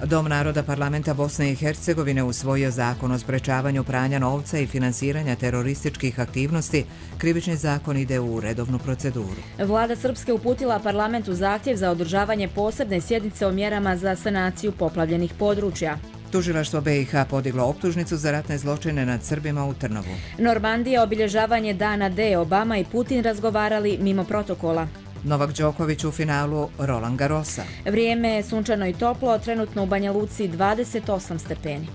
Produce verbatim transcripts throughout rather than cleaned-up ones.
Dom naroda parlamenta Bosne i Hercegovine usvojio zakon o sprečavanju pranja novca i finansiranja terorističkih aktivnosti. Krivični zakon ide u redovnu proceduru. Vlada Srpske uputila parlamentu zahtjev za održavanje posebne sjednice o mjerama za sanaciju poplavljenih područja. Tužilaštvo B i H podiglo optužnicu za ratne zločine nad Srbima u Trnovu. Normandija, obilježavanje dana D. Obama i Putin razgovarali mimo protokola. Novak Đoković u finalu Roland Garrosa. Vrijeme je sunčano i toplo, trenutno u Banja Luci dvadeset osam stepeni.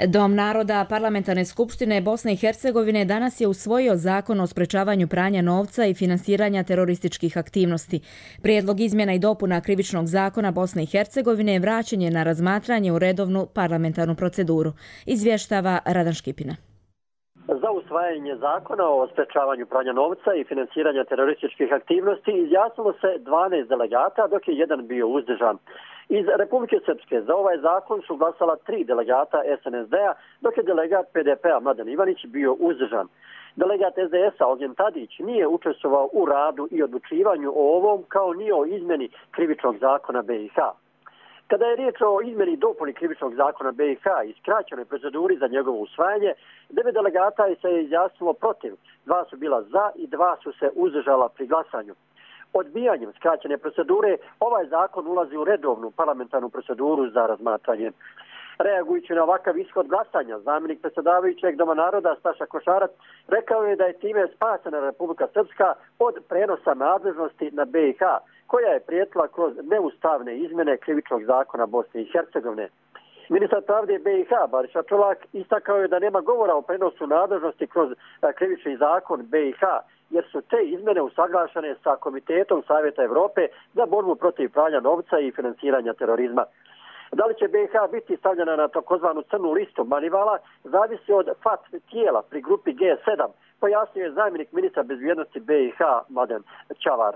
Dom naroda Parlamentarne skupštine Bosne i Hercegovine danas je usvojio zakon o sprečavanju pranja novca i finansiranja terorističkih aktivnosti. Prijedlog izmjena i dopuna krivičnog zakona Bosne i Hercegovine vraćen je na razmatranje u redovnu parlamentarnu proceduru, izvještava Radan Škipina. Za usvajanje zakona o sprečavanju pranja novca i finansiranja terorističkih aktivnosti izjasnilo se dvanaest delegata, dok je jedan bio uzdržan. Iz Republike Srpske za ovaj zakon su glasala tri delegata S N S D-a, dok je delegat P D P-a Mladen Ivanić bio uzdržan. Delegat S D S-a Ognjen Tadić nije učestvovao u radu i odlučivanju o ovom, kao ni o izmjeni krivičnog zakona B i H. Kada je riječ o izmjeni i dopuni krivičnog zakona B i H i skraćenoj proceduri za njegovo usvajanje, devet delegata se je izjasnilo protiv, dva su bila za i dva su se uzdržala pri glasanju. Odbijanjem skraćene procedure ovaj zakon ulazi u redovnu parlamentarnu proceduru za razmatranje. Reagujući na ovakav ishod glasanja, zamjenik predsjedavajućeg Doma naroda Staša Košarac rekao je da je time spasena Republika Srpska od prenosa nadležnosti na B i H, koja je prijetila kroz neustavne izmjene krivičnog zakona Bosne i Hercegovine. Ministar pravde B i H Bariša Čolak istakao je da nema govora o prenosu nadležnosti kroz krivični zakon B i H, jer su te izmjene usaglašene sa Komitetom Savjeta Evrope za borbu protiv pranja novca i finansiranja terorizma. Da li će B i H biti stavljena na takozvanu crnu listu Manivala, zavisi od F A T tijela pri grupi G sedam, pojasnio je zamjenik ministra bezbjednosti B i H Mladen Čavar.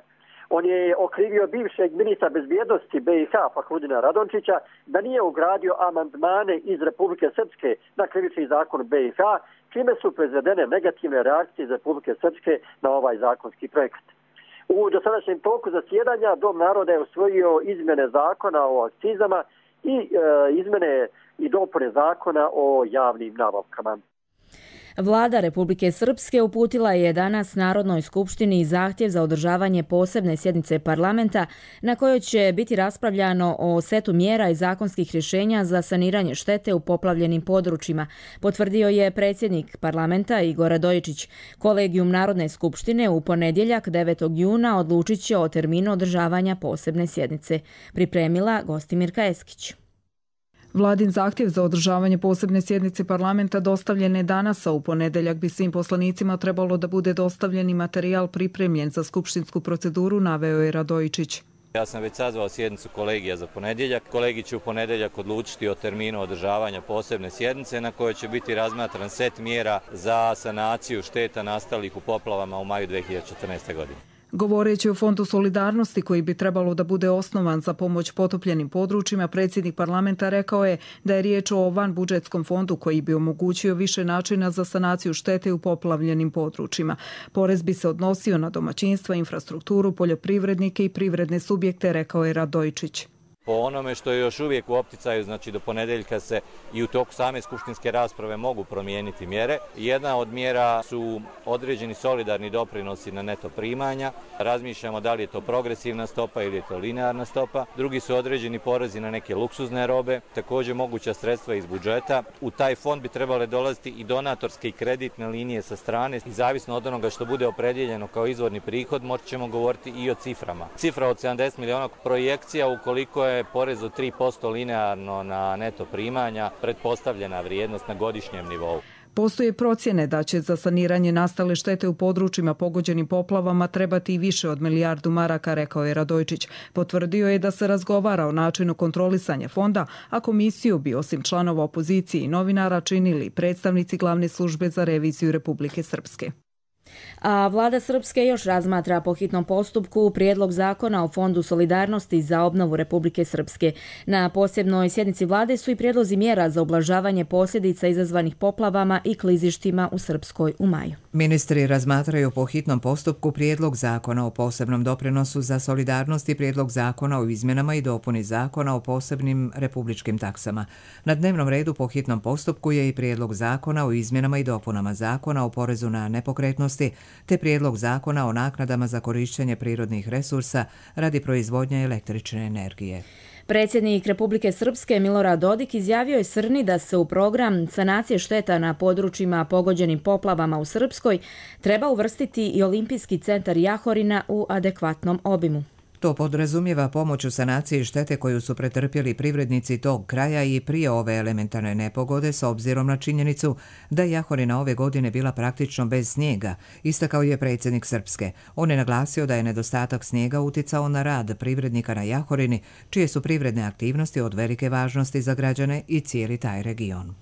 On je okrivio bivšeg ministra bezbjednosti B i H Fahrudina Radončića da nije ugradio amandmane iz Republike Srpske na krivični zakon B i H, čime su proizvedene negativne reakcije iz Republike Srpske na ovaj zakonski projekt. U dosadašnjem toku zasjedanja Dom naroda je usvojio izmjene zakona o akcizama i e, izmjene i dopune zakona o javnim nabavkama. Vlada Republike Srpske uputila je danas Narodnoj skupštini zahtjev za održavanje posebne sjednice parlamenta na kojoj će biti raspravljano o setu mjera i zakonskih rješenja za saniranje štete u poplavljenim područjima, potvrdio je predsjednik parlamenta Igor Radojičić. Kolegijum Narodne skupštine u ponedjeljak devetog juna odlučit će o terminu održavanja posebne sjednice, pripremila Gostimirka Eskić. Vladin zahtjev za održavanje posebne sjednice parlamenta dostavljen je danas, a u ponedeljak bi svim poslanicima trebalo da bude dostavljeni materijal pripremljen za skupštinsku proceduru, naveo je Radojičić. Ja sam već sazvao sjednicu kolegija za ponedjeljak. Kolegi će u ponedjeljak odlučiti o terminu održavanja posebne sjednice na kojoj će biti razmatran set mjera za sanaciju šteta nastalih u poplavama u maju dve hiljade četrnaeste. godine. Govoreći o Fondu solidarnosti koji bi trebalo da bude osnovan za pomoć potopljenim područjima, predsjednik parlamenta rekao je da je riječ o vanbudžetskom fondu koji bi omogućio više načina za sanaciju štete u poplavljenim područjima. Porez bi se odnosio na domaćinstva, infrastrukturu, poljoprivrednike i privredne subjekte, rekao je Radojičić. Po onome što je još uvijek u opticaju, znači do ponedeljka se i u toku same skupštinske rasprave mogu promijeniti mjere. Jedna od mjera su određeni solidarni doprinosi na neto primanja. Razmišljamo da li je to progresivna stopa ili je to linearna stopa. Drugi su određeni porezi na neke luksuzne robe, također moguća sredstva iz budžeta. U taj fond bi trebale dolaziti i donatorske i kreditne linije sa strane. I zavisno od onoga što bude opredjeljeno kao izvorni prihod, moći ćemo govoriti i o ciframa. Cifra od sedamdeset miliona projekcija, ukoliko je porez od tri posto linearno na neto primanja, pretpostavljena vrijednost na godišnjem nivou. Postoje procjene da će za saniranje nastale štete u područjima pogođenim poplavama trebati i više od milijardu maraka, rekao je Radojičić. Potvrdio je da se razgovara o načinu kontrolisanja fonda, a komisiju bi osim članova opozicije i novinara činili predstavnici glavne službe za reviziju Republike Srpske. A vlada Srpske još razmatra po hitnom postupku prijedlog zakona o Fondu solidarnosti za obnovu Republike Srpske. Na posebnoj sjednici vlade su i prijedlozi mjera za ublažavanje posljedica izazvanih poplavama i klizištima u Srpskoj u maju. Ministri razmatraju po hitnom postupku prijedlog zakona o posebnom doprinosu za solidarnost i prijedlog zakona o izmjenama i dopuni zakona o posebnim republičkim taksama. Na dnevnom redu po hitnom postupku je i prijedlog zakona o izmjenama i dopunama zakona o porezu na nepokretnosti, te prijedlog zakona o naknadama za korištenje prirodnih resursa radi proizvodnje električne energije. Predsjednik Republike Srpske Milorad Dodik izjavio je Srni da se u program sanacije šteta na područjima pogođenim poplavama u Srpskoj treba uvrstiti i Olimpijski centar Jahorina u adekvatnom obimu. To podrazumijeva pomoć u sanaciji štete koju su pretrpjeli privrednici tog kraja i prije ove elementarne nepogode s obzirom na činjenicu da je Jahorina ove godine bila praktično bez snijega, istakao je predsjednik Srpske. On je naglasio da je nedostatak snijega uticao na rad privrednika na Jahorini, čije su privredne aktivnosti od velike važnosti za građane i cijeli taj region.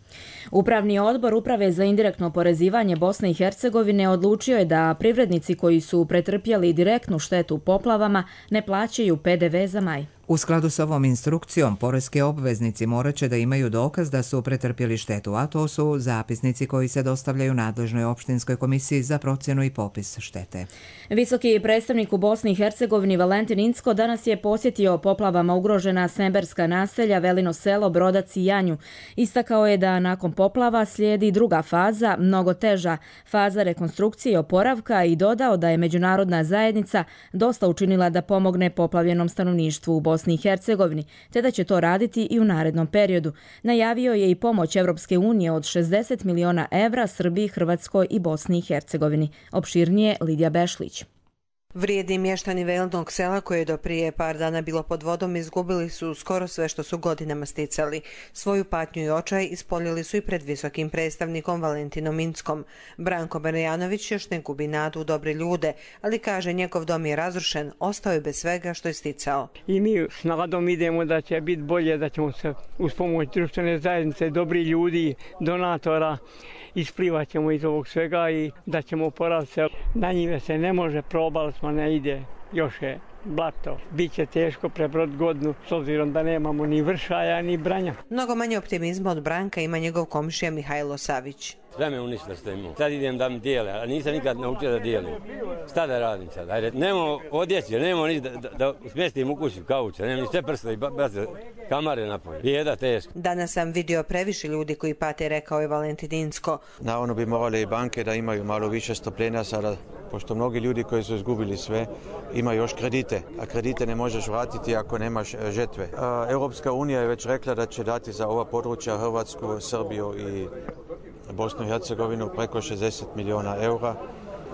Upravni odbor Uprave za indirektno oporezivanje Bosne i Hercegovine odlučio je da privrednici koji su pretrpjeli direktnu štetu poplavama ne plaćaju P D V za maj. U skladu s ovom instrukcijom, poreski obveznici morat će da imaju dokaz da su pretrpjeli štetu, a to su zapisnici koji se dostavljaju nadležnoj opštinskoj komisiji za procjenu i popis štete. Visoki predstavnik u Bosni i Hercegovini Valentin Incko danas je posjetio poplavama ugrožena semberska naselja Velino selo, Brodac i Janju. Istakao je da nakon poplava slijedi druga faza, mnogo teža, faza rekonstrukcije i oporavka i dodao da je međunarodna zajednica dosta učinila da pomogne poplavljenom stanovništvu u Bosni i Hercegovini, te da će to raditi i u narednom periodu. Najavio je i pomoć Evropske unije od šezdeset miliona evra Srbiji, Hrvatskoj i Bosni i Hercegovini. Opširnije Lidija Bešlić. Vrijedni mještani Velinog sela koje je do prije par dana bilo pod vodom izgubili su skoro sve što su godinama sticali. Svoju patnju i očaj ispoljili su i pred visokim predstavnikom Valentinom Inckom. Branko Berjanović još ne gubi nadu u dobre ljude, ali kaže njegov dom je razrušen, ostao je bez svega što je sticao. I mi s nadom idemo da će biti bolje, da ćemo se uz pomoć društvene zajednice, dobri ljudi, donatora, isplivat ćemo iz ovog svega i da ćemo oporaviti se. Na njime se ne može, probali smo, ne ide, još je blato. Biće teško prebrod godinu s obzirom da nemamo ni vršaja ni branja. Mnogo manje optimizma od Branka ima njegov komšija Mihajlo Savić. Sve me uništilo što imam. Sad idem da mi dijele, a nisam nikad naučio da dijelim. Šta da radim sad? Ajde, nemo odjeće, nemo ni da, da, da smjestim u kući kauča, nemo ni sve prste i baze kamare napolje. Bijeda teško. Danas sam vidio previše ljudi koji pate, rekao je Valentin Incko. Naravno bi morale i banke da imaju malo više strpljenja sada, pošto mnogi ljudi koji su izgubili sve imaju još kredite, a kredite ne možeš vratiti ako nemaš žetve. Europska unija je već rekla da će dati za ova područja Hrvatsku, Srbiju i Bosnu i Hercegovinu preko šezdeset milijuna eura.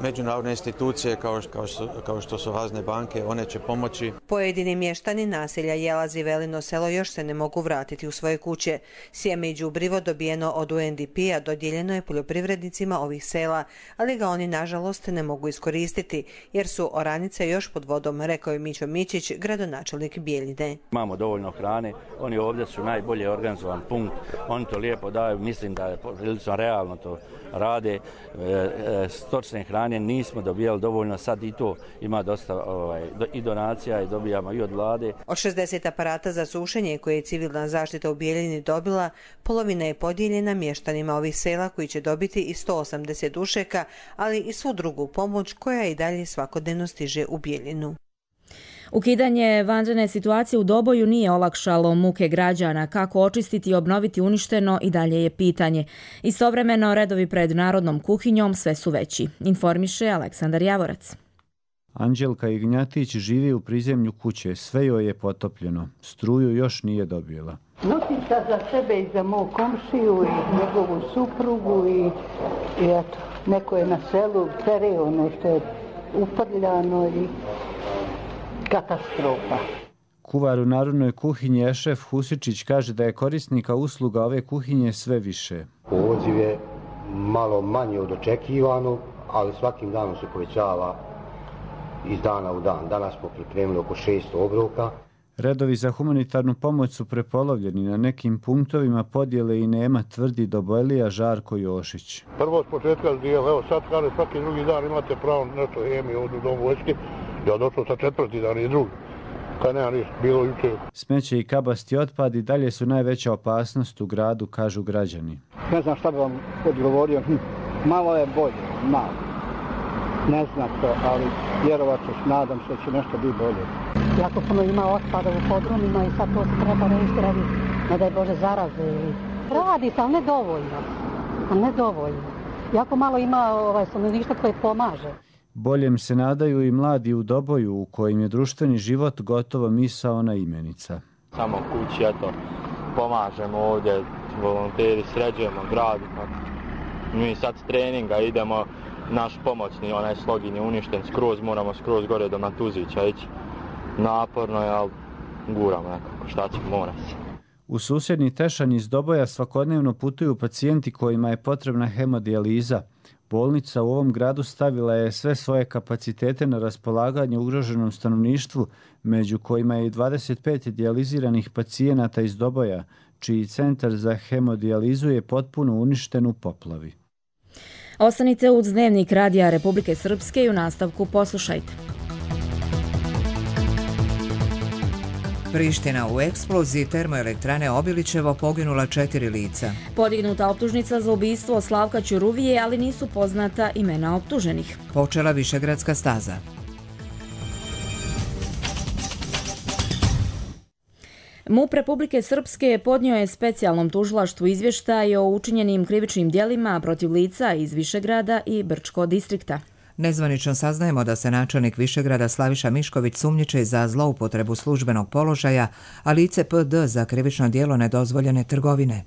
Međunarodne institucije kao, kao, kao što su razne banke, one će pomoći. Pojedini mještani naselja Jelaz i Velino selo još se ne mogu vratiti u svoje kuće. Sjeme i đubrivo dobijeno od U N D P-a dodijeljeno je poljoprivrednicima ovih sela, ali ga oni nažalost ne mogu iskoristiti jer su oranice još pod vodom, rekao je Mićo Mićić, gradonačelnik Bjeljine. Imamo dovoljno hrane, oni ovdje su najbolje organizovan punkt, oni to lijepo daju, mislim da je prilično realno to rade, e, e, stočne hrane nismo dobijali dovoljno, sad i to ima dosta ovaj, do, i donacija i dobijamo i od vlade. Od šezdeset aparata za sušenje koje je civilna zaštita u Bijeljini dobila, polovina je podijeljena mještanima ovih sela koji će dobiti i sto osamdeset dušeka, ali i svu drugu pomoć koja i dalje svakodnevno stiže u Bijeljinu. Ukidanje vanredne situacije u Doboju nije olakšalo muke građana. Kako očistiti i obnoviti uništeno i dalje je pitanje. Istovremeno redovi pred narodnom kuhinjom sve su veći. Informiše Aleksandar Javorac. Anđelka Ignjatić živi u prizemlju kuće. Sve joj je potopljeno. Struju još nije dobila. Notica za sebe i za mog komšiju i njegovu suprugu i, i eto, neko je na selu pere ono što je uprljano i katastrofa. Kuvar u narodnoj kuhinji Ešef Husičić kaže da je korisnika usluga ove kuhinje sve više. Poziv je malo manje od očekivanog, ali svakim danom se povećava iz dana u dan. Danas smo pripremili oko šesto obroka. Redovi za humanitarnu pomoć su prepolovljeni. Na nekim punktovima podjele i nema, tvrdi Dobojlija Žarko Jošić. Prvo s početka dijela, evo sad kada svaki drugi dan imate pravo nešto hemije ovdje u domu vojske. Ja došao sa četvrti dan i drugi. Kad nema ništa, bilo jučer. Smeće i kabasti otpad i dalje su najveća opasnost u gradu, kažu građani. Ne znam šta bi vam odgovorio, malo je bolje, malo. ne zna to, ali vjerovat ćeš, nadam se da će nešto biti bolje. Jako puno ima otpada u podrumima i sad to se treba rešiti radi, ne daj Bože, zaraze. Radi se, ali ne dovoljno. Ali ne dovoljno. Jako malo ima ovaj, stanovništva koje pomaže. Boljem se nadaju i mladi u Doboju u kojim je društveni život gotovo misaona imenica. Samo kući, eto, pomažemo ovdje, volonteri, sređujemo grad. Mi sad s treninga idemo, naš pomoćni, onaj slogin je uništen skroz, moramo skroz gore do Matuzića ići. Naporno je, ali guramo nekako, šta će, mora se. U susjedni Tešanj iz Doboja svakodnevno putuju pacijenti kojima je potrebna hemodijaliza. Bolnica u ovom gradu stavila je sve svoje kapacitete na raspolaganje ugroženom stanovništvu, među kojima je i dvadeset pet dijaliziranih pacijenata iz Doboja, čiji centar za hemodijalizu je potpuno uništen u poplavi. Ostanite uz Dnevnik Radija Republike Srpske i u nastavku poslušajte. Priština u eksploziji termoelektrane Obilićevo poginula četiri lica. Podignuta optužnica za ubistvo Slavka Ćuruvije, ali nisu poznata imena optuženih. Počela Višegradska staza. MUP Republike Srpske podnio je specijalnom tužilaštvu izvještaj o učinjenim krivičnim djelima protiv lica iz Višegrada i Brčko distrikta. Nezvanično saznajemo da se načelnik Višegrada Slaviša Mišković sumnjiči za zloupotrebu službenog položaja, a lice P D za krivično djelo nedozvoljene trgovine.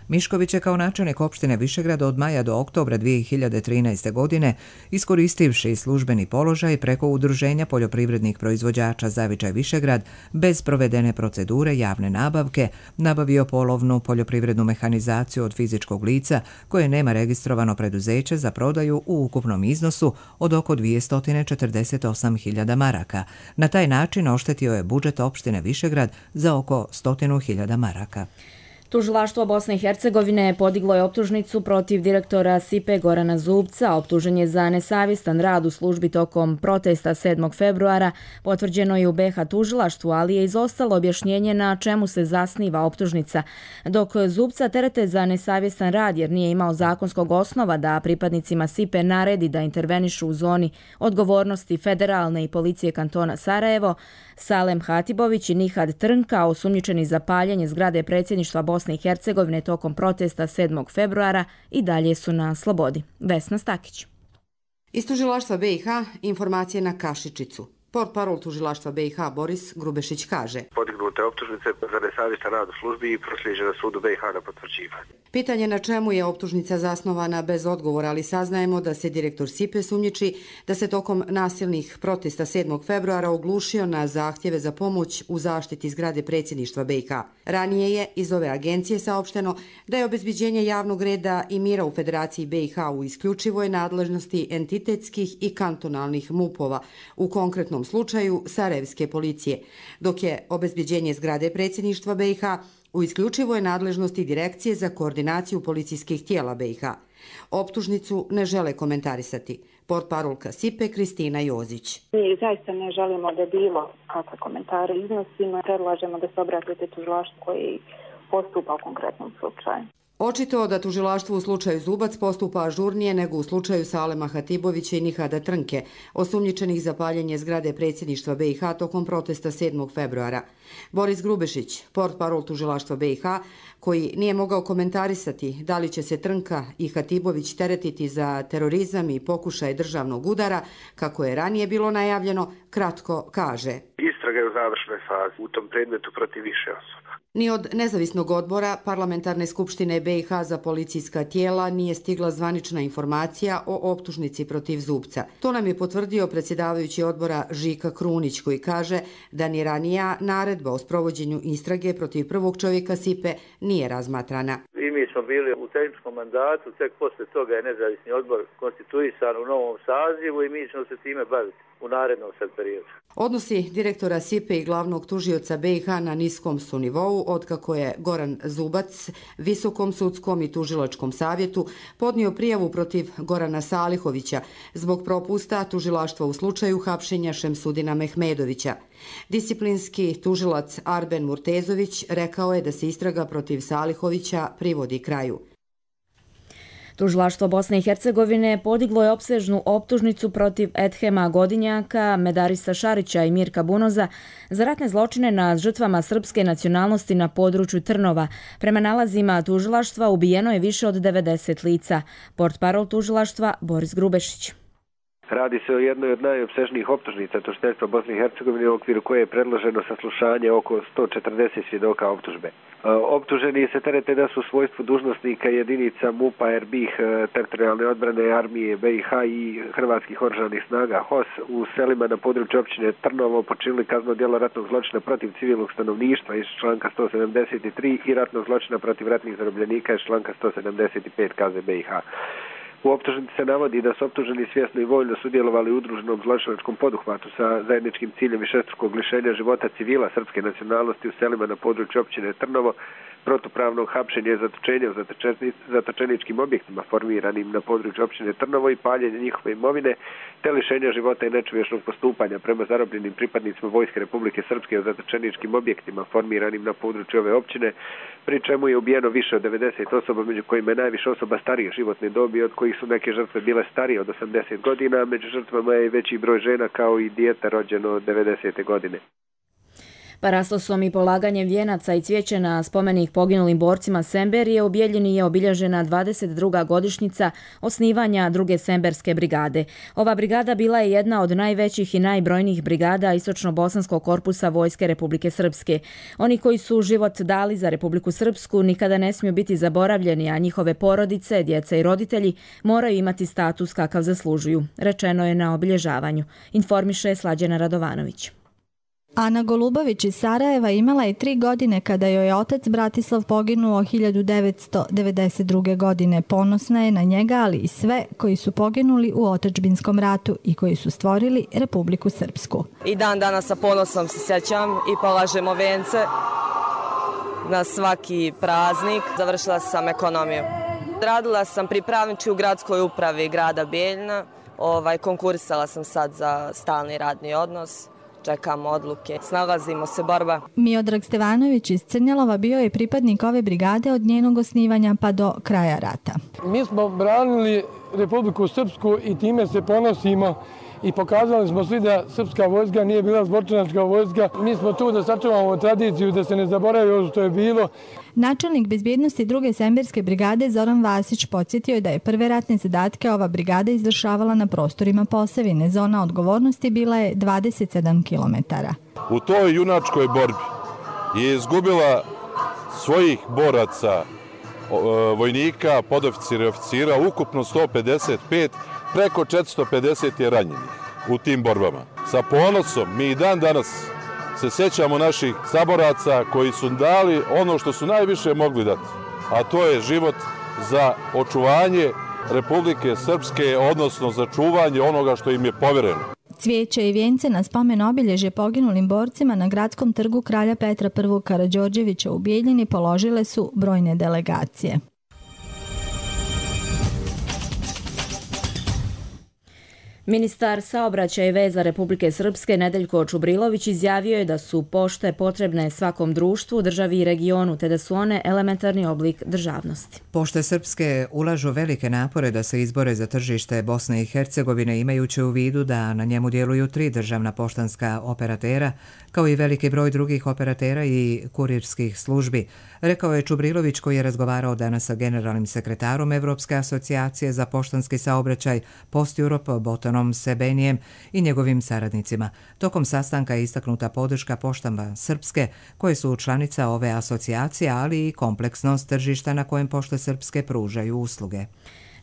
Mišković je kao načelnik opštine Višegrad od maja do oktobra dvije hiljade trinaeste. godine, iskoristivši službeni položaj preko Udruženja poljoprivrednih proizvođača Zavičaj Višegrad, bez provedene procedure javne nabavke, nabavio polovnu poljoprivrednu mehanizaciju od fizičkog lica koje nema registrovano preduzeće za prodaju u ukupnom iznosu od oko dvjesto četrdeset osam hiljada maraka. Na taj način oštetio je budžet opštine Višegrad za oko sto hiljada maraka. Tužilaštvo Bosne i Hercegovine podiglo je optužnicu protiv direktora S I P E Gorana Zubca. Optužen je za nesavjestan rad u službi tokom protesta sedmog februara. Potvrđeno je u B H tužilaštvu, ali je izostalo objašnjenje na čemu se zasniva optužnica. Dok Zubca terete za nesavjestan rad jer nije imao zakonskog osnova da pripadnicima S I P E naredi da intervenišu u zoni odgovornosti federalne i policije kantona Sarajevo, Salem Hatibović i Nihad Trnka, osumnjičeni za paljenje zgrade predsjedništva Bosne i Hercegovine tokom protesta sedmog februara, i dalje su na slobodi. Vesna Stakić. Iz tužilaštva B i H informacije na Kašičicu. Portparol tužilaštva B i H Boris Grubešić kaže: Podignute optužnice za nesavjestan rad u službi i proslijeđene sudu B i H na potvrđivanje. Pitanje na čemu je optužnica zasnovana bez odgovora, ali saznajemo da se direktor S I P E sumnjiči da se tokom nasilnih protesta sedmog februara oglušio na zahtjeve za pomoć u zaštiti zgrade predsjedništva B i H. Ranije je iz ove agencije saopšteno da je obezbeđenje javnog reda i mira u Federaciji B i H u isključivoj nadležnosti entitetskih i kantonalnih MUP-ova, u konkretnom slučaju Sarajevske policije, dok je obezbeđenje zgrade predsjedništva B i H u isključivoj nadležnosti Direkcije za koordinaciju policijskih tijela B i H. Optužnicu ne žele komentarisati. Portparolka S I P E Kristina Jozić. Mi zaista ne želimo da bilo kakve komentare iznosimo. Predlažemo da se obratite tužilaštvu koji postupa u konkretnom slučaju. Očito da tužilaštvo u slučaju Zubac postupa ažurnije nego u slučaju Salema Hatibovića i Nihada Trnke, osumnjičenih za paljenje zgrade predsjedništva B i H tokom protesta sedmog februara. Boris Grubešić, portparol tužilaštva B i H, koji nije mogao komentarisati da li će se Trnka i Hatibović teretiti za terorizam i pokušaj državnog udara, kako je ranije bilo najavljeno, kratko kaže: Istraga je u završnoj fazi u tom predmetu protiv više osoba. Ni od nezavisnog odbora Parlamentarne skupštine B i H za policijska tijela nije stigla zvanična informacija o optužnici protiv Zubca. To nam je potvrdio predsjedavajući odbora Žika Krunić, koji kaže da ni ranija naredba o sprovođenju istrage protiv prvog čovjeka S I P E nije razmatrana. I mi smo bili u tehničkom mandatu, tek posle toga je nezavisni odbor konstituisan u novom sazivu i mi ćemo se time baviti u narednom sad periodu. Odnosi direktora S I P E i glavnog tužioca B i H na niskom su nivou, otkako je Goran Zubac Visokom sudskom i tužilačkom savjetu podnio prijavu protiv Gorana Salihovića zbog propusta tužilaštva u slučaju hapšenja Šemsudina Mehmedovića. Disciplinski tužilac Arben Murtezović rekao je da se istraga protiv Salihovića privodi kraju. Tužilaštvo Bosne i Hercegovine podiglo je opsežnu optužnicu protiv Edhema Godinjaka, Medarisa Šarića i Mirka Bunoza za ratne zločine nad žrtvama srpske nacionalnosti na području Trnova. Prema nalazima tužilaštva ubijeno je više od devedeset lica. Portparol tužilaštva Boris Grubešić. Radi se o jednoj od najopsežnijih optužnica tužiteljstva Bosne i Hercegovine u okviru koje je predloženo saslušanje oko sto četrdeset svjedoka optužbe. Optuženi se terete da su u svojstvu dužnosnika jedinica MUP-a, er be i ha, teritorijalne odbrane armije be i ha i Hrvatskih oružanih snaga ha o es u selima na području općine Trnovo počinili kazneno djelo ratnog zločina protiv civilnog stanovništva iz članka sto sedamdeset tri i ratnog zločina protiv ratnih zarobljenika iz članka sto sedamdeset pet ka ze be i ha. U optužnici se navodi da su optuženi svjesno i voljno sudjelovali u udruženom zločinačkom poduhvatu sa zajedničkim ciljem višestrukog lišenja života civila srpske nacionalnosti u selima na području općine Trnovo, protupravnog hapšenja i zatočenja u zatočeničkim objektima formiranim na području općine Trnovo i paljenja njihove imovine, te lišenja života i nečovječnog postupanja prema zarobljenim pripadnicima Vojske Republike Srpske u zatočeničkim objektima formiranim na području ove općine, pri čemu je ubijeno više od devedeset osoba, među kojima je najviše osoba starije životne dobi, od kojih su neke žrtve bile starije od osamdeset godina, među žrtvama je veći broj žena kao i dijete rođeno devedesete godine. Parastosom i polaganjem vijenaca i cvijeća na spomenik poginulim borcima Semberije u Bijeljini je obilježena dvadeset druga godišnjica osnivanja druge Semberske brigade. Ova brigada bila je jedna od najvećih i najbrojnijih brigada Istočno-bosanskog korpusa Vojske Republike Srpske. Oni koji su život dali za Republiku Srpsku nikada ne smiju biti zaboravljeni, a njihove porodice, djeca i roditelji moraju imati status kakav zaslužuju, rečeno je na obilježavanju, informiše Slađana Radovanović. Ana Golubović iz Sarajeva imala je tri godine kada joj je otac Bratislav poginuo hiljadu devetsto devedeset druge. godine. Ponosna je na njega, ali i sve koji su poginuli u otadžbinskom ratu i koji su stvorili Republiku Srpsku. I dan danas sa ponosom se sjećam i polažemo vence na svaki praznik. Završila sam ekonomiju. Radila sam pripravnički u gradskoj upravi grada Bijeljina. Ovaj, konkurisala sam sad za stalni radni odnos. Čekamo odluke, snalazimo se, borba. Miodrag Stevanović iz Crnjalova bio je pripadnik ove brigade od njenog osnivanja pa do kraja rata. Mi smo branili Republiku Srpsku i time se ponosimo i pokazali smo svi da srpska vojska nije bila zločinačka vojska. Mi smo tu da sačuvamo tradiciju, da se ne zaboravi ono što je bilo. Načelnik bezbjednosti druge Semberske brigade Zoran Vasić podsjetio je da je prve ratne zadatke ova brigada izvršavala na prostorima Posavine. Zona odgovornosti bila je dvadeset sedam kilometara. U toj junačkoj borbi je izgubila svojih boraca, vojnika, podoficira i oficira, ukupno sto pedeset pet, preko četiristo pedeset je ranjenih u tim borbama. Sa ponosom mi i dan danas se sjećamo naših saboraca koji su dali ono što su najviše mogli dati, a to je život za očuvanje Republike Srpske, odnosno za čuvanje onoga što im je povjereno. Cvijeće i vijence na spomen obilježje poginulim borcima na gradskom trgu kralja Petra I. Karađorđevića u Bijeljini položile su brojne delegacije. Ministar saobraćaja i veza Republike Srpske Nedeljko Čubrilović izjavio je da su pošte potrebne svakom društvu, državi i regionu, te da su one elementarni oblik državnosti. Pošte srpske ulažu velike napore da se izbore za tržište Bosne i Hercegovine, imajući u vidu da na njemu djeluju tri državna poštanska operatera, kao i veliki broj drugih operatera i kurirskih službi, rekao je Čubrilović, koji je razgovarao danas sa generalnim sekretarom Evropske asocijacije za poštanski saobraćaj Post Europe Botanom Sebenijem i njegovim saradnicima. Tokom sastanka je istaknuta podrška poštama srpske, koje su članica ove asocijacije, ali i kompleksnost tržišta na kojem pošte srpske pružaju usluge.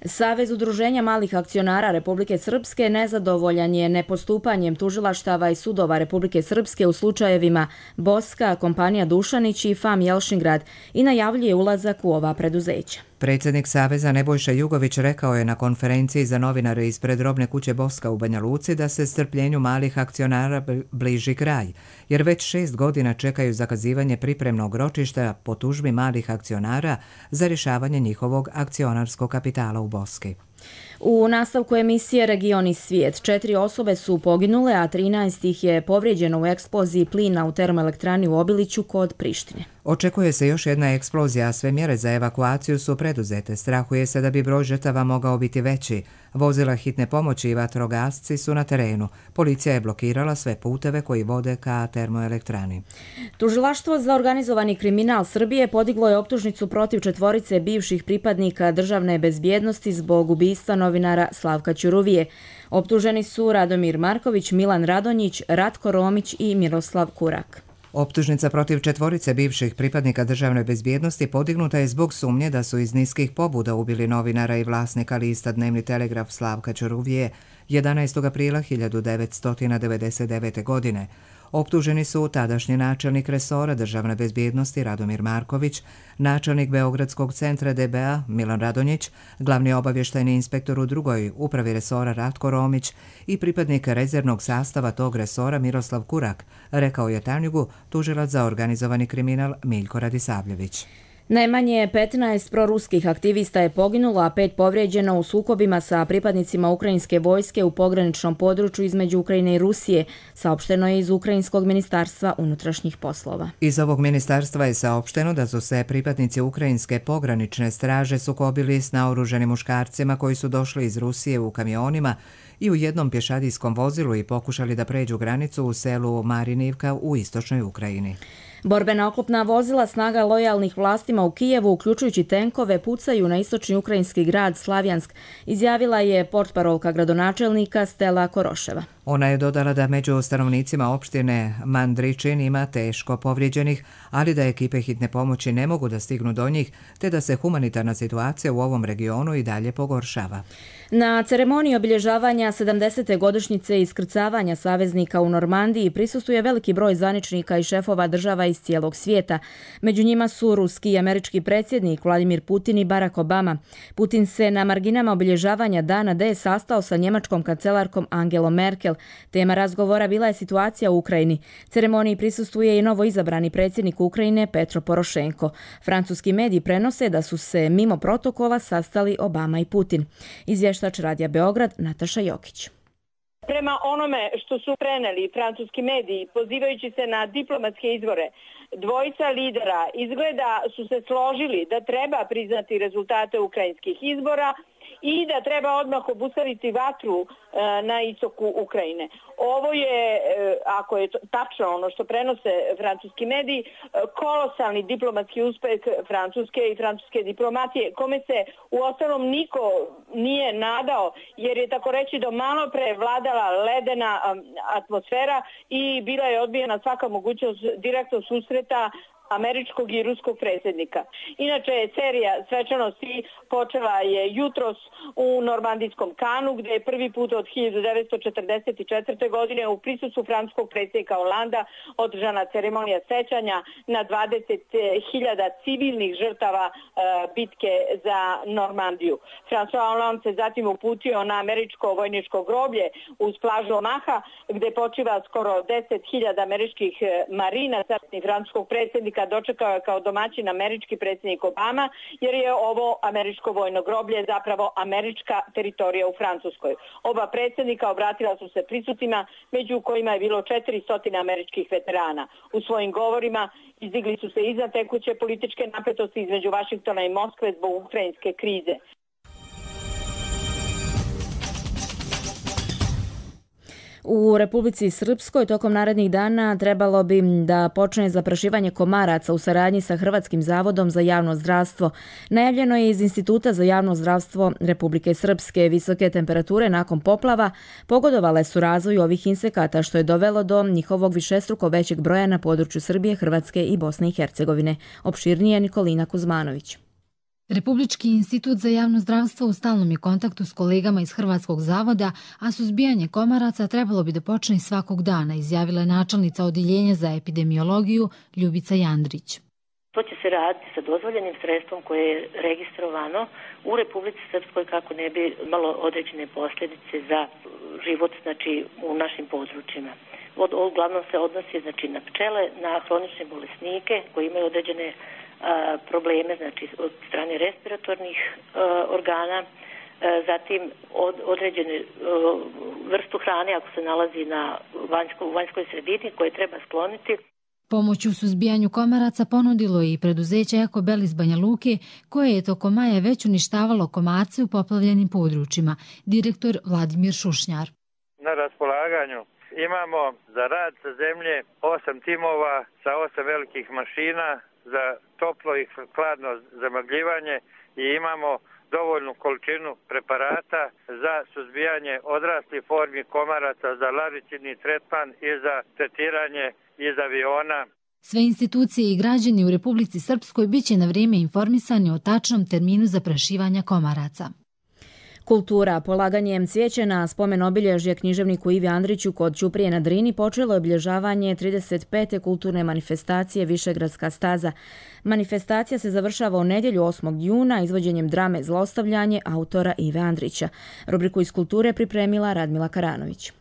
Savez udruženja malih akcionara Republike Srpske nezadovoljan je nepostupanjem tužilaštava i sudova Republike Srpske u slučajevima Boska, kompanija Dušanić i F A M Jelšingrad i najavljuje ulazak u ova preduzeća. Predsjednik Saveza Nebojša Jugović rekao je na konferenciji za novinare ispred robne kuće Boska u Banja Luci da se strpljenju malih akcionara bliži kraj, jer već šest godina čekaju zakazivanje pripremnog ročišta po tužbi malih akcionara za rješavanje njihovog akcionarskog kapitala u Boski. U nastavku emisije Region i svijet četiri osobe su poginule, a trinaest ih je povrijeđeno u eksploziji plina u termoelektrani u Obiliću kod Prištine. Očekuje se još jedna eksplozija, a sve mjere za evakuaciju su preduzete. Strahuje se da bi broj žrtava mogao biti veći. Vozila hitne pomoći i vatrogasci su na terenu. Policija je blokirala sve puteve koji vode ka termoelektrani. Tužilaštvo za organizovani kriminal Srbije podiglo je optužnicu protiv četvorice bivših pripadnika državne bezbjednosti zbog ubistva novinara Slavka Ćuruvije. Optuženi su Radomir Marković, Milan Radonjić, Ratko Romić i Miroslav Kurak. Optužnica protiv četvorice bivših pripadnika državne bezbjednosti podignuta je zbog sumnje da su iz niskih pobuda ubili novinara i vlasnika lista Dnevni telegraf Slavka Ćuruvije jedanaestog aprila hiljadu devetsto devedeset devete. godine. Optuženi su tadašnji načelnik resora državne bezbjednosti Radomir Marković, načelnik Beogradskog centra D B A Milan Radonjić, glavni obavještajni inspektor u drugoj upravi resora Ratko Romić i pripadnik rezervnog sastava tog resora Miroslav Kurak, rekao je Tanjugu tužilac za organizovani kriminal Miljko Radisavljević. Najmanje petnaest proruskih aktivista je poginulo, a pet povrijeđeno u sukobima sa pripadnicima ukrajinske vojske u pograničnom području između Ukrajine i Rusije, saopšteno je iz Ukrajinskog ministarstva unutrašnjih poslova. Iz ovog ministarstva je saopšteno da su se pripadnici ukrajinske pogranične straže sukobili s naoruženim muškarcima koji su došli iz Rusije u kamionima i u jednom pješadijskom vozilu i pokušali da pređu granicu u selu Marinivka u istočnoj Ukrajini. Borbena oklopna vozila snaga lojalnih vlastima u Kijevu, uključujući tenkove, pucaju na istočni ukrajinski grad Slavjansk, izjavila je portparolka gradonačelnika Stela Koroševa. Ona je dodala da među stanovnicima opštine Mandričin ima teško povrijeđenih, ali da ekipe hitne pomoći ne mogu da stignu do njih, te da se humanitarna situacija u ovom regionu i dalje pogoršava. Na ceremoniji obilježavanja sedamdesete godišnjice iskrcavanja saveznika u Normandiji prisustvuje veliki broj zvaničnika i šefova država iz cijelog svijeta. Među njima su ruski i američki predsjednik Vladimir Putin i Barack Obama. Putin se na marginama obilježavanja Dana D sastao sa njemačkom kancelarkom Angelom Merkel. Tema razgovora bila je situacija u Ukrajini. Ceremoniji prisustvuje i novo izabrani predsjednik Ukrajine Petro Porošenko. Francuski mediji prenose da su se mimo protokola sastali Obama i Putin. Izvještač Radija Beograd Nataša Jokić. Prema onome što su preneli francuski mediji, pozivajući se na diplomatske izvore, dvojica lidera izgleda su se složili da treba priznati rezultate ukrajinskih izbora i da treba odmah obustaviti vatru na istoku Ukrajine. Ovo je, ako je tačno ono što prenose francuski mediji, kolosalni diplomatski uspeh Francuske i francuske diplomatije, kome se u ostalom niko nije nadao, jer je tako reći do malo pre vladala ledena atmosfera i bila je odbijena svaka mogućnost direktnog susreta američkog i ruskog predsjednika. Inače, serija svečanosti počela je jutros u normandijskom Kanu, gdje je prvi put od hiljadu devetsto četrdeset četvrte. godine u prisustvu francuskog predsjednika Holanda održana ceremonija sećanja na dvadeset hiljada civilnih žrtava e, bitke za Normandiju. François Hollande se zatim uputio na američko vojničko groblje uz plažu Omaha, gdje počiva skoro deset hiljada američkih marinaca i francuskog predsjednika dočekao je kao domaćin američki predsjednik Obama, jer je ovo američko vojno groblje zapravo američka teritorija u Francuskoj. Oba predsjednika obratila su se prisutnima, među kojima je bilo četiristo američkih veterana. U svojim govorima izdigli su se iznad tekuće političke napetosti između Vašingtona i Moskve zbog ukrajinske krize. U Republici Srpskoj tokom narednih dana trebalo bi da počne zaprašivanje komaraca u saradnji sa Hrvatskim zavodom za javno zdravstvo. Najavljeno je iz Instituta za javno zdravstvo Republike Srpske. Visoke temperature nakon poplava pogodovale su razvoju ovih insekata, što je dovelo do njihovog višestruko većeg broja na području Srbije, Hrvatske i Bosne i Hercegovine. Opširnije Nikolina Kuzmanović. Republički institut za javno zdravstvo u stalnom je kontaktu s kolegama iz Hrvatskog zavoda, a suzbijanje komaraca trebalo bi da počne svakog dana, izjavila je načelnica Odjeljenja za epidemiologiju Ljubica Jandrić. To će se raditi sa dozvoljenim sredstvom koje je registrovano u Republici Srpskoj kako ne bi imalo određene posljedice za život, znači, u našim područjima. Uglavnom se odnosi, znači, na pčele, na hronične bolesnike koji imaju određene probleme, znači od strane respiratornih uh, organa, zatim od, određenu vrstu hrane ako se nalazi na vanjsko, vanjskoj sredini koje treba skloniti. Pomoć u suzbijanju komaraca ponudilo je i preduzeće Ekobel iz Banja Luke, koje je tokom maja već uništavalo komarce u poplavljenim područjima. Direktor Vladimir Šušnjar. Na raspolaganju imamo za rad sa zemlje osam timova sa osam velikih mašina za toplo i hladno zamagljivanje i imamo dovoljnu količinu preparata za suzbijanje odraslih formi komaraca, za larvicidni tretman i za tretiranje iz aviona. Sve institucije i građani u Republici Srpskoj biće na vrijeme informisani o tačnom terminu zaprašivanja komaraca. Kultura. Polaganjem cvijeća na spomen obilježje književniku Ivi Andriću kod Ćuprije na Drini počelo je obilježavanje trideset pete kulturne manifestacije Višegradska staza. Manifestacija se završava u nedjelju osmog juna izvođenjem drame Zlostavljanje autora Ive Andrića. Rubriku iz kulture pripremila Radmila Karanović.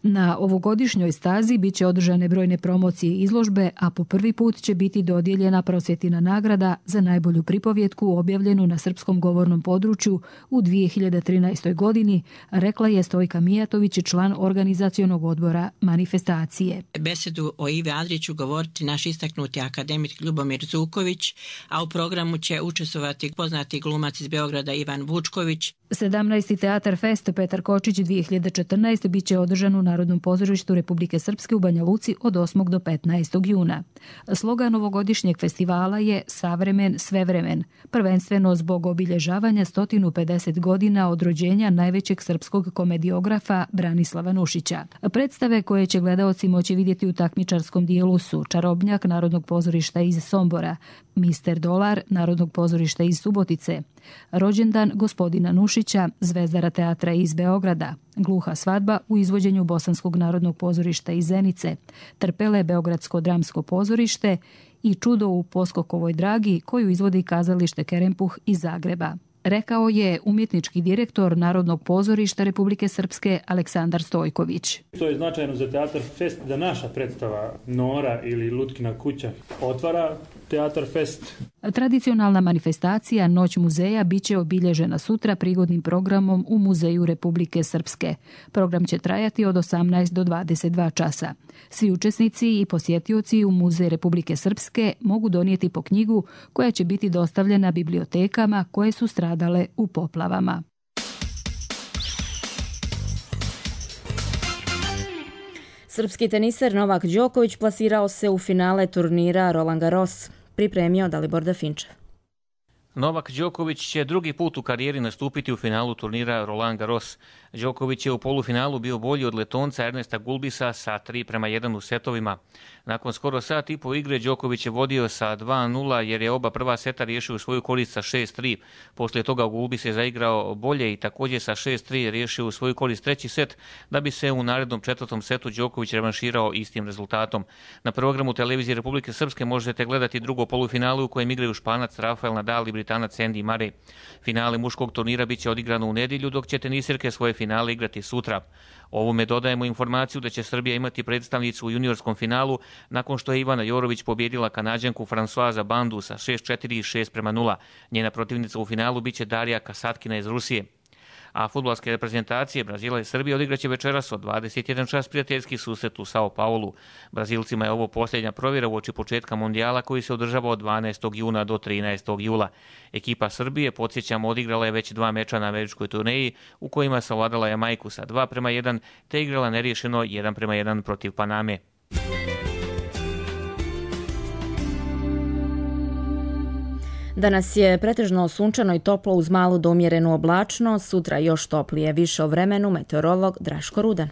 Na ovogodišnjoj stazi bit će održane brojne promocije i izložbe, a po prvi put će biti dodijeljena prosvjetina nagrada za najbolju pripovjetku objavljenu na srpskom govornom području u dvije hiljade trinaestoj. godini, rekla je Stojka Mijatović, član organizacionog odbora manifestacije. Besedu o Ivi Andriću govoriti naš istaknuti akademik Ljubomir Zuković, a u programu će učestvovati poznati glumac iz Beograda Ivan Vučković. sedamnaesti. Teatar Fest Petar Kočić dvije hiljade četrnaeste. bit će održan u Narodnom pozorištu Republike Srpske u Banja Luci od osmog do petnaestog juna. Slogan ovogodišnjeg festivala je Savremen, svevremen, prvenstveno zbog obilježavanja sto pedeset godina od rođenja najvećeg srpskog komediografa Branislava Nušića. Predstave koje će gledaoci moći vidjeti u takmičarskom dijelu su Čarobnjak Narodnog pozorišta iz Sombora, Mister Dolar Narodnog pozorišta iz Subotice, Rođendan gospodina Nušića Zvezdara teatra iz Beograda, Gluha svadba u izvođenju Bosanskog narodnog pozorišta iz Zenice, Trpele Beogradsko dramsko pozorište i Čudo u Poskokovoj dragi koju izvodi kazalište Kerempuh iz Zagreba. Rekao je umjetnički direktor Narodnog pozorišta Republike Srpske Aleksandar Stojković. To je značajno za Teatar Fest da naša predstava Nora ili Lutkina kuća otvara Teatar Fest. Tradicionalna manifestacija Noć muzeja biće obilježena sutra prigodnim programom u Muzeju Republike Srpske. Program će trajati od osamnaest do dvadeset dva časa. Svi učesnici i posjetioci u Muzej Republike Srpske mogu donijeti po knjigu koja će biti dostavljena bibliotekama koje su stradale u poplavama. Srpski teniser Novak Đoković plasirao se u finale turnira Roland Garros. Pripremio Dalibor Dafinčev. Novak Đoković će drugi put u karijeri nastupiti u finalu turnira Roland Garros. Đoković je u polufinalu bio bolji od Letonca Ernesta Gulbisa sa tri prema jedan u setovima. Nakon skoro sat i po igre Đoković je vodio sa dva nula jer je oba prva seta riješio u svoju korist sa šest tri. Poslije toga Gulbis je zaigrao bolje i također sa šest tri riješio u svoju korist treći set, da bi se u narednom četvrtom setu Đoković revanširao istim rezultatom. Na programu televizije Republike Srpske možete gledati drugo polufinalu u kojem igraju Španac Rafael Nadal i Britanac Andy Murray. Finale muškog turnira biće odigrano u nedjelju, dok će tenisirke svoje finale igrati sutra. Ovome dodajemo informaciju da će Srbija imati predstavnicu u juniorskom finalu nakon što je Ivana Jorović pobjedila Kanađanku Francoisa Bandu sa šest četiri i šest prema nula. Njena protivnica u finalu biće Darija Kasatkina iz Rusije. A fudbalske reprezentacije Brazila i Srbije odigraće večeras od dvadeset jedan čas prijateljski susret u Sao Paulu. Brazilcima je ovo posljednja provjera uoči početka mondijala koji se održava od dvanaestog juna do trinaestog jula. Ekipa Srbije, podsjećamo, odigrala je već dva meča na američkoj turneji u kojima savladala Jamajku sa dva prema jedan te igrala neriješeno jedan prema jedan protiv Paname. Danas je pretežno sunčano i toplo uz malu do umjerenu oblačnost, sutra još toplije. Više o vremenu meteorolog Draško Rudan.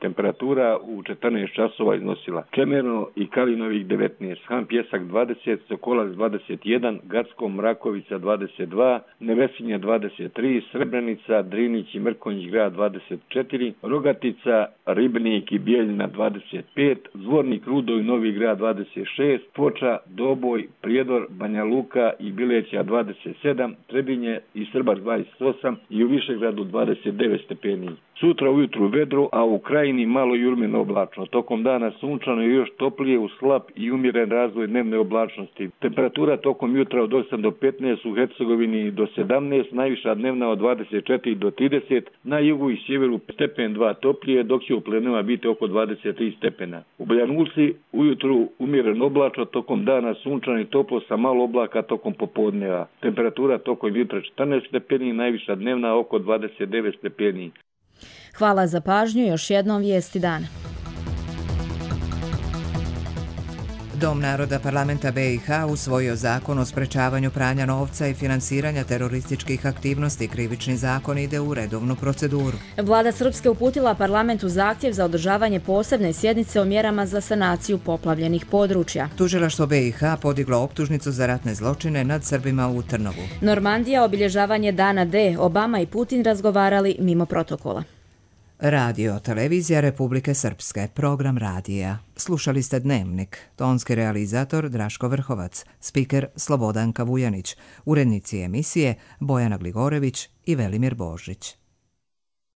Temperatura u četrnaest časova iznosila Čemerno i Kalinovih devetnaest, Han Pjesak dvadeset, Sokolac dvadeset jedan, Gacko Mrakovica dvadeset dva, Nevesinje dvadeset tri, Srebrenica, Drinić i Mrkonjić grad dvadeset četiri, Rogatica, Ribnik i Bijeljina dvadeset pet, Zvornik, Rudo i Novi grad dvadeset šest, Foča, Doboj, Prijedor, Banja Luka i Bileća dvadeset sedam, Trebinje i Srbar dvadeset osam i u Višegradu dvadeset devet stepeni. Sutra ujutru vedro, a u krajini malo jurmeno oblačno. Tokom dana sunčano i još toplije uz slab i umjeren razvoj dnevne oblačnosti. Temperatura tokom jutra od osam do petnaest, u Hercegovini do sedamnaest, najviša dnevna od dvadeset četiri do trideset, na jugu i sjeveru stepen dva toplije, dok će u plenuma biti oko dvadeset tri stepena. U Banja ujutru umjeren oblačno, tokom dana sunčano i toplo sa malo oblaka tokom popodneva. Temperatura tokom jutra četrnaest stepeni, najviša dnevna oko dvadeset devet stepeni. Hvala za pažnju, još jednom vijesti dana. Dom naroda parlamenta B i H usvojio zakon o sprečavanju pranja novca i finansiranja terorističkih aktivnosti. Krivični zakon ide u redovnu proceduru. Vlada Srpske uputila parlamentu zahtjev za održavanje posebne sjednice o mjerama za sanaciju poplavljenih područja. Tužilaštvo B i H podiglo optužnicu za ratne zločine nad Srbima u Trnovu. Normandija, obilježavanje dana D. Obama i Putin razgovarali mimo protokola. Radio, televizija Republike Srpske, program radija. Slušali ste Dnevnik, tonski realizator Draško Vrhovac, spiker Slobodanka Vujanić, urednici emisije Bojana Gligorević i Velimir Božić.